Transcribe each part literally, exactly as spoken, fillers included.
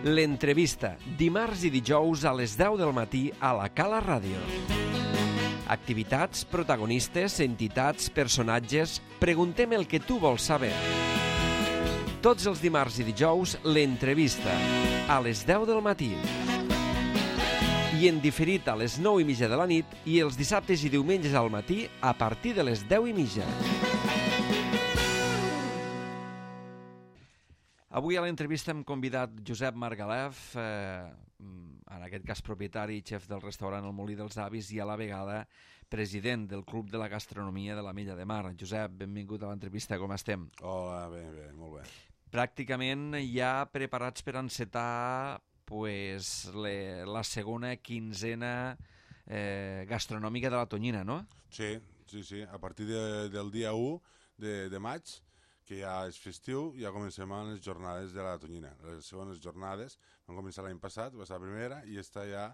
L'entrevista, dimarts i dijous a les deu del matí a la Cala Ràdio. Activitats, protagonistes, entitats, personatges... Preguntem el que tu vols saber. Tots els dimarts i dijous, l'entrevista, a les deu del matí. I en diferit a les nou i mitja de la nit i els dissabtes i diumenges al matí a partir de les deu i mitja. Avui a l'entrevista hem convidat Josep Margalef, eh, en aquest cas propietari i xef del restaurant El Molí dels Avis i a la vegada president del Club de la Gastronomia de l'Ametlla de Mar. Josep, benvingut a l'entrevista, com estem? Hola, bé, bé, molt bé. Pràcticament ja preparats per encetar pues, le, la segona quinzena eh, gastronòmica de la Tonyina, no? Sí, sí, sí. A partir de, del dia u de, de maig, que ja és festiu, ja comencem amb les jornades de la Tonyina. Les segones jornades van començar l'any passat, va ser la primera, i esta ja,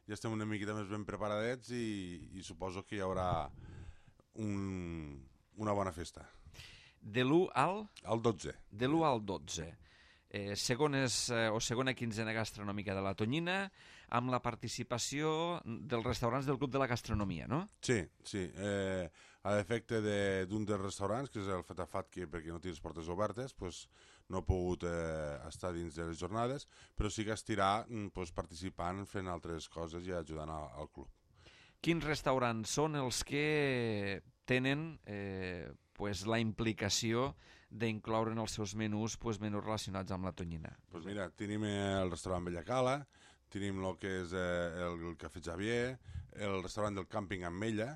ja estem una miqueta més ben preparadets i, i suposo que hi haurà un, una bona festa. De l'u al? Al dotze. De l'u al dotze. Eh, segones, eh, o segona quinzena gastronòmica de la Tonyina, amb la participació dels restaurants del Club de la Gastronomia, no? Sí, sí. Eh, a l'efecte d'un dels restaurants, que és el Fatafat, que perquè no té les portes obertes, pues, no ha pogut eh, estar dins de les jornades, però sí que estirà pues, participant, fent altres coses i ajudant al, al club. Quins restaurants són els que tenen eh, pues, la implicació d'incloure en els seus menús pues, menús relacionats amb la Tonyina? Pues mira, tenim el restaurant Bellacala, tenim el que és eh, el, el Cafè Xavier, el restaurant del Càmping Ametlla,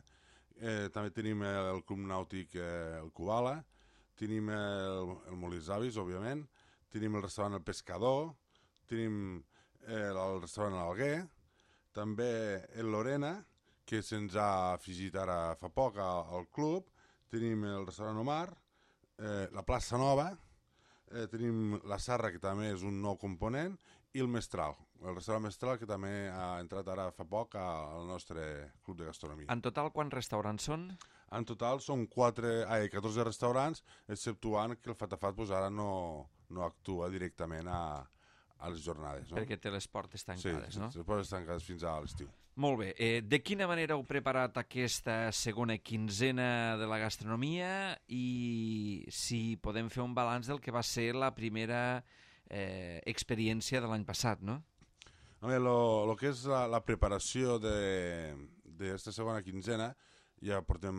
eh, també tenim el, el Club Nàutic eh, el Kubala, tenim el, el Molí dels Avis, òbviament, tenim el restaurant El Pescador, tenim eh, el restaurant L'Alguer, també el Lorena, que se'ns ha afegit ara fa poc al, al club, tenim el restaurant Omar, eh, la Plaça Nova, eh, tenim la Sarra, que també és un nou component, i el Mestral, el restaurant Mestral, que també ha entrat ara fa poc al nostre club de gastronomia. En total, quants restaurants són? En total són quatre, ai, catorze restaurants, exceptuant que el Fatafat pues, ara no, no actua directament a, a les jornades. No? Perquè té les portes tancades, sí, no? Sí, les portes tancades fins a l'estiu. Molt bé. Eh, de quina manera heu preparat aquesta segona quinzena de la gastronomia i si podem fer un balanç del que va ser la primera eh, experiència de l'any passat, no? A veure, el que és la, la preparació d'aquesta segona quinzena, ja portem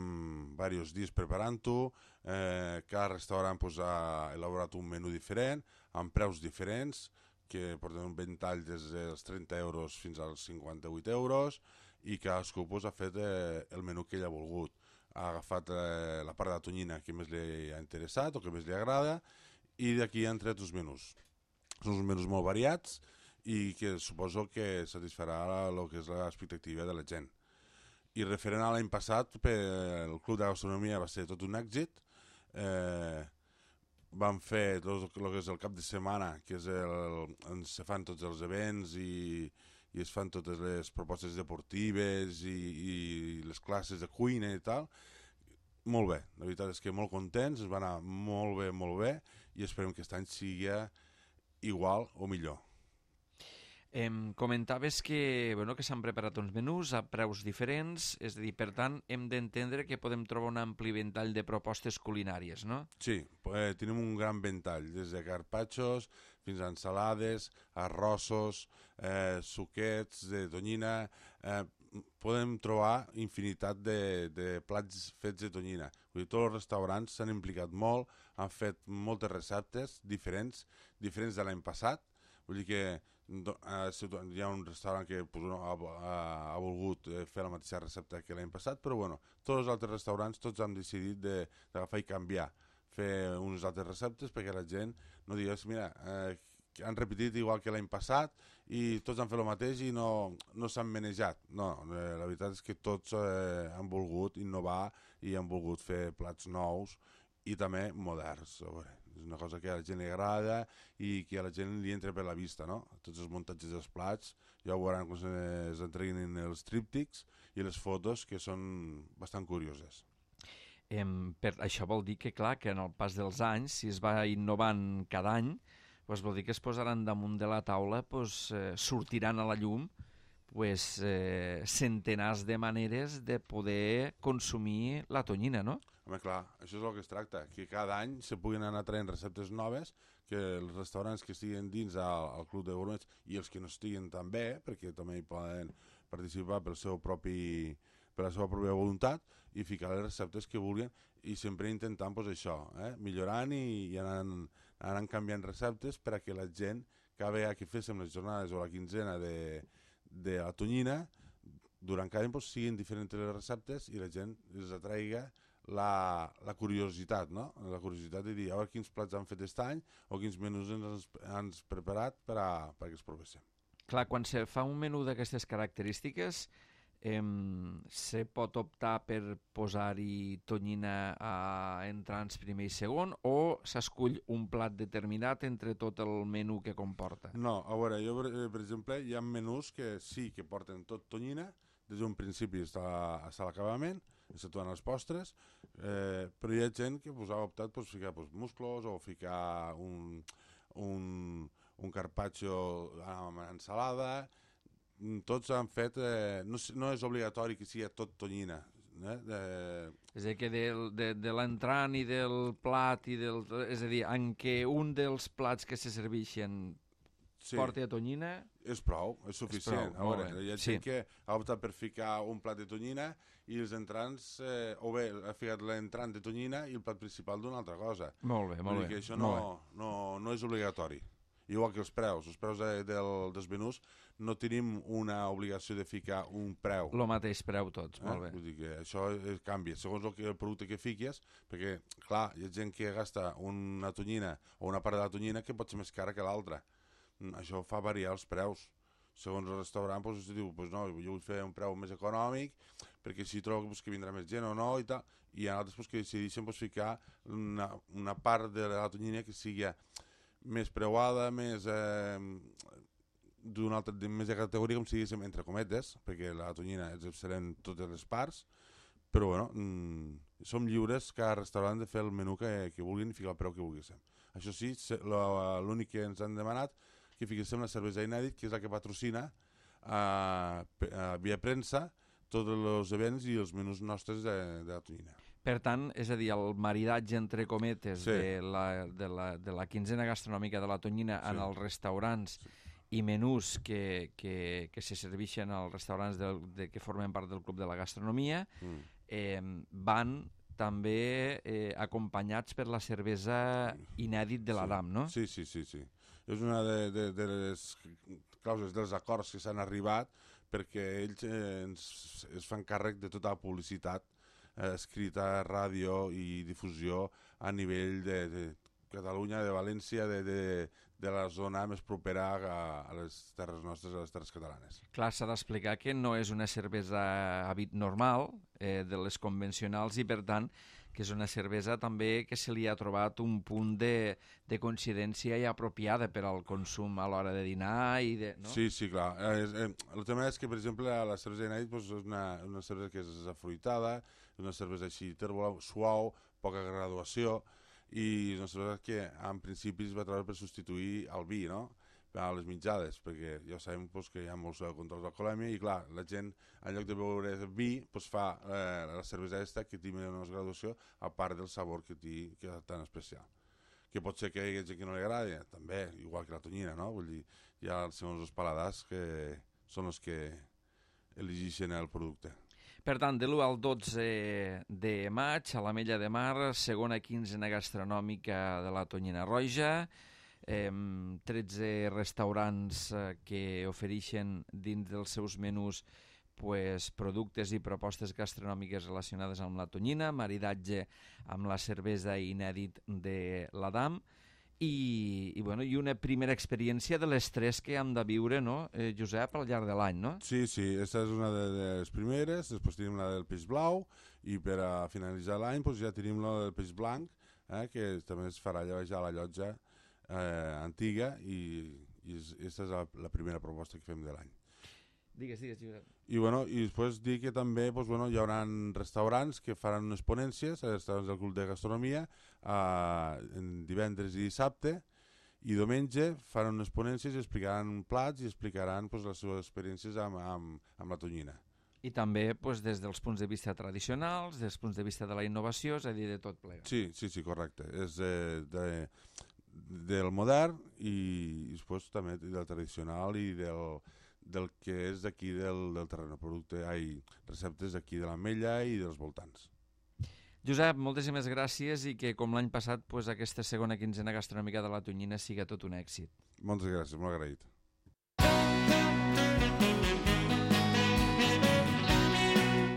diversos dies preparant-ho, eh, cada restaurant pues, ha elaborat un menú diferent, amb preus diferents, que porten un ventall des dels trenta euros fins als cinquanta-vuit euros i cadascú pues, ha fet eh, el menú que ell ha volgut. Ha agafat eh, la part de la Tonyina que més li ha interessat o que més li agrada i d'aquí han tret els menús. Són uns menús molt variats i que suposo que satisfarà el que és l'expectativa de la gent. I referent a l'any passat, el Club de Gastronomia va ser tot un èxit. Eh, vam fer tot el que és el cap de setmana, que és el, on se fan tots els events i, i es fan totes les propostes deportives i, i les classes de cuina i tal. Molt bé, la veritat és que molt contents, es va anar molt bé, molt bé i esperem que aquest any sigui igual o millor. Em comentaves que, bueno, que s'han preparat uns menús a preus diferents, és a dir, per tant, hem d'entendre que podem trobar un ampli ventall de propostes culinàries, no? Sí, eh, tenim un gran ventall, des de carpaccios fins a ensalades, arrossos, eh, suquets de tonyina. Eh, podem trobar infinitat de, de plats fets de tonyina. Vull dir, tots els restaurants s'han implicat molt, han fet moltes receptes diferents, diferents de l'any passat. Vull dir que hi ha un restaurant que pues, no, ha, ha, ha volgut fer la mateixa recepta que l'any passat, però bueno, tots els altres restaurants tots han decidit d'agafar i canviar, fer unes altres receptes perquè la gent no digués, mira, eh, han repetit igual que l'any passat i tots han fet el mateix i no, no s'han manejat. No, eh, la veritat és que tots eh, han volgut innovar i han volgut fer plats nous i també moderns. A veure, és una cosa que a la gent li agrada i que a la gent li entra per la vista, no? Tots els muntatges dels plats, ja ho veuran quan s'entreguin els tríptics i les fotos, que són bastant curioses. Eh, per, això vol dir que, clar, que en el pas dels anys, si es va innovant cada any, pues vol dir que es posaran damunt de la taula, pues, eh, sortiran a la llum pues, eh, centenars de maneres de poder consumir la tonyina, no? Home, clar, això és el que es tracta, que cada any se puguin anar traient receptes noves, que els restaurants que estiguen dins al, al Club de Gourmets i els que no estiguen també, perquè també hi poden participar pel seu propi, per la seva pròpia voluntat i ficar les receptes que vulguin i sempre intentant pues, això, eh? millorant i, i anant, anant canviant receptes per a que la gent, cada vegada que féssim les jornades o la quinzena de, de la tonyina, durant cada any pues, siguin diferents les receptes i la gent els atraiga La, la curiositat, no? La curiositat de dir a veure quins plats han fet aquest any o quins menús ens han preparat per a, perquè els provéssim. Clar, quan se fa un menú d'aquestes característiques, eh, se pot optar per posar-hi tonyina a entrants primer i segon o s'escull un plat determinat entre tot el menú que comporta? No, a veure, jo per, per exemple hi ha menús que sí que porten tot tonyina des d'un principi fins a l'acabament, exceptuant els postres, eh, però hi ha gent que pues, ha optat per pues, ficar pues, musclos o ficar un, un, un carpaccio amb ensalada. Tots han fet... Eh, no, no és obligatori que sigui tot tonyina. Eh? Eh, és a dir, que de, de, de l'entrant i del plat, i del, és a dir, en què un dels plats que se serveixen sí. porti a tonyina... És prou, és suficient. És prou, a veure, hi ha gent sí. que ha optat per ficar un plat de tonyina i els entrants, eh, o bé, ha ficat l'entrant de tonyina i el plat principal d'una altra cosa. Molt bé, molt bé. Que això no, no, no és obligatori. Igual que els preus. Els preus de, del, dels menús no tenim una obligació de ficar un preu. El mateix preu tots, molt eh? bé. Vull dir que això canvia, segons el, que, el producte que fiques, perquè, clar, hi ha gent que gasta una tonyina o una part de la tonyina que pot ser més cara que l'altra. Això fa variar els preus. Segons el restaurant, doncs, diu, pues no, jo vull fer un preu més econòmic, perquè si trobo pues, que vindrà més gent o no, i tal. I hi ha altres pues, que decideixen pues, ficar una, una part de la tonyina que sigui més preuada, més eh, d'una altra, més de categoria, com si diguéssim, entre cometes, perquè la tonyina és excel·lent totes les parts, però bueno, mm, som lliures cada restaurant de fer el menú que, que vulguin i ficar el preu que vulguéssim. Això sí, l'únic que ens han demanat que fiquéssim la cervesa Inèdit, que és la que patrocina a, a via premsa tots els events i els menús nostres de, de la tonyina. Per tant, és a dir, el maridatge entre cometes sí. de, la, de, la, de la quinzena gastronòmica de la tonyina sí. en els restaurants sí. i menús que, que, que se serveixen als restaurants del, de, que formen part del Club de la Gastronomia mm. eh, van també eh, acompanyats per la cervesa Inèdit de l'Adam, sí. no? Sí, sí, sí, sí. És una de, de, de les causes dels acords que s'han arribat perquè ells eh, ens, es fan càrrec de tota la publicitat eh, escrita, ràdio i difusió a nivell de, de Catalunya, de València, de, de, de la zona més propera a, a les terres nostres, a les terres catalanes. Clar, s'ha d'explicar que no és una cervesa hàbit normal, eh, de les convencionals, i per tant que és una cervesa també que se li ha trobat un punt de, de coincidència i apropiada per al consum a l'hora de dinar i de... No? Sí, sí, clar. Eh, eh, el tema és que, per exemple, la cervesa Inèdit pues, és una, una cervesa que és afruitada, una cervesa així tèrbola, suau, poca graduació, i una cervesa que en principi es va treure per substituir el vi, no?, a les mitjades, perquè ja sabem pues, que hi ha molts controls d'alcoholèmia i clar, la gent en lloc de beure vi pues, fa eh, la cervesa aquesta que té menys graduació a part del sabor que té que és tan especial. Que pot ser que hi hagi gent que no li agradi, també, igual que la tonyina, no? Vull dir, hi ha segons els paladars que són els que elegeixen el producte. Per tant, de l'u al dotze de maig, a l'Ametlla de Mar, segona quinzena gastronòmica de la Tonyina Roja, eh, tretze restaurants eh, que ofereixen dins dels seus menús pues, productes i propostes gastronòmiques relacionades amb la tonyina, maridatge amb la cervesa Inèdit de l'Adam, I, i, bueno, i una primera experiència de les tres que hem de viure, no, eh, Josep, al llarg de l'any, no? Sí, sí, aquesta és una de les primeres, després tenim la del peix blau, i per a finalitzar l'any pues, ja tenim la del peix blanc, eh, que també es farà allà a la llotja eh, antiga, i, i aquesta és la, la primera proposta que fem de l'any. Digues, digues, Josep. I, bueno, i després dir que també pues, bueno, hi haurà restaurants que faran unes ponències, restaurants del Club de Gastronomia, eh, en divendres i dissabte, I diumenge faran unes ponències i explicaran plats i explicaran pues, les seves experiències amb, amb, amb la tonyina. I també pues, des dels punts de vista tradicionals, des dels punts de vista de la innovació, és a dir, de tot plegat. Sí, sí, sí, correcte. És de, de, del modern i, i després també del tradicional i del, del que és d'aquí del, del terreny, producte, ai, receptes d'aquí de l'Ametlla i dels voltants. Josep, moltíssimes gràcies i que com l'any passat pues, aquesta segona quinzena gastronòmica de la Tonyina siga tot un èxit. Moltes gràcies, molt agraït.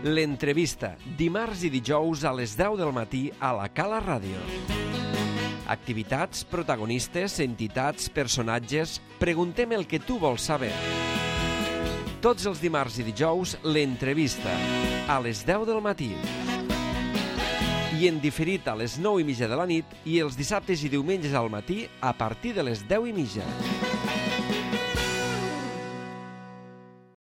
L'entrevista, dimarts i dijous a les deu del matí a la Cala Ràdio. Activitats, protagonistes, entitats, personatges... Preguntem el que tu vols saber. Tots els dimarts i dijous, l'entrevista, a les deu del matí. I en diferit a les nou i mitja de la nit i els dissabtes i diumenges al matí a partir de les deu i mitja.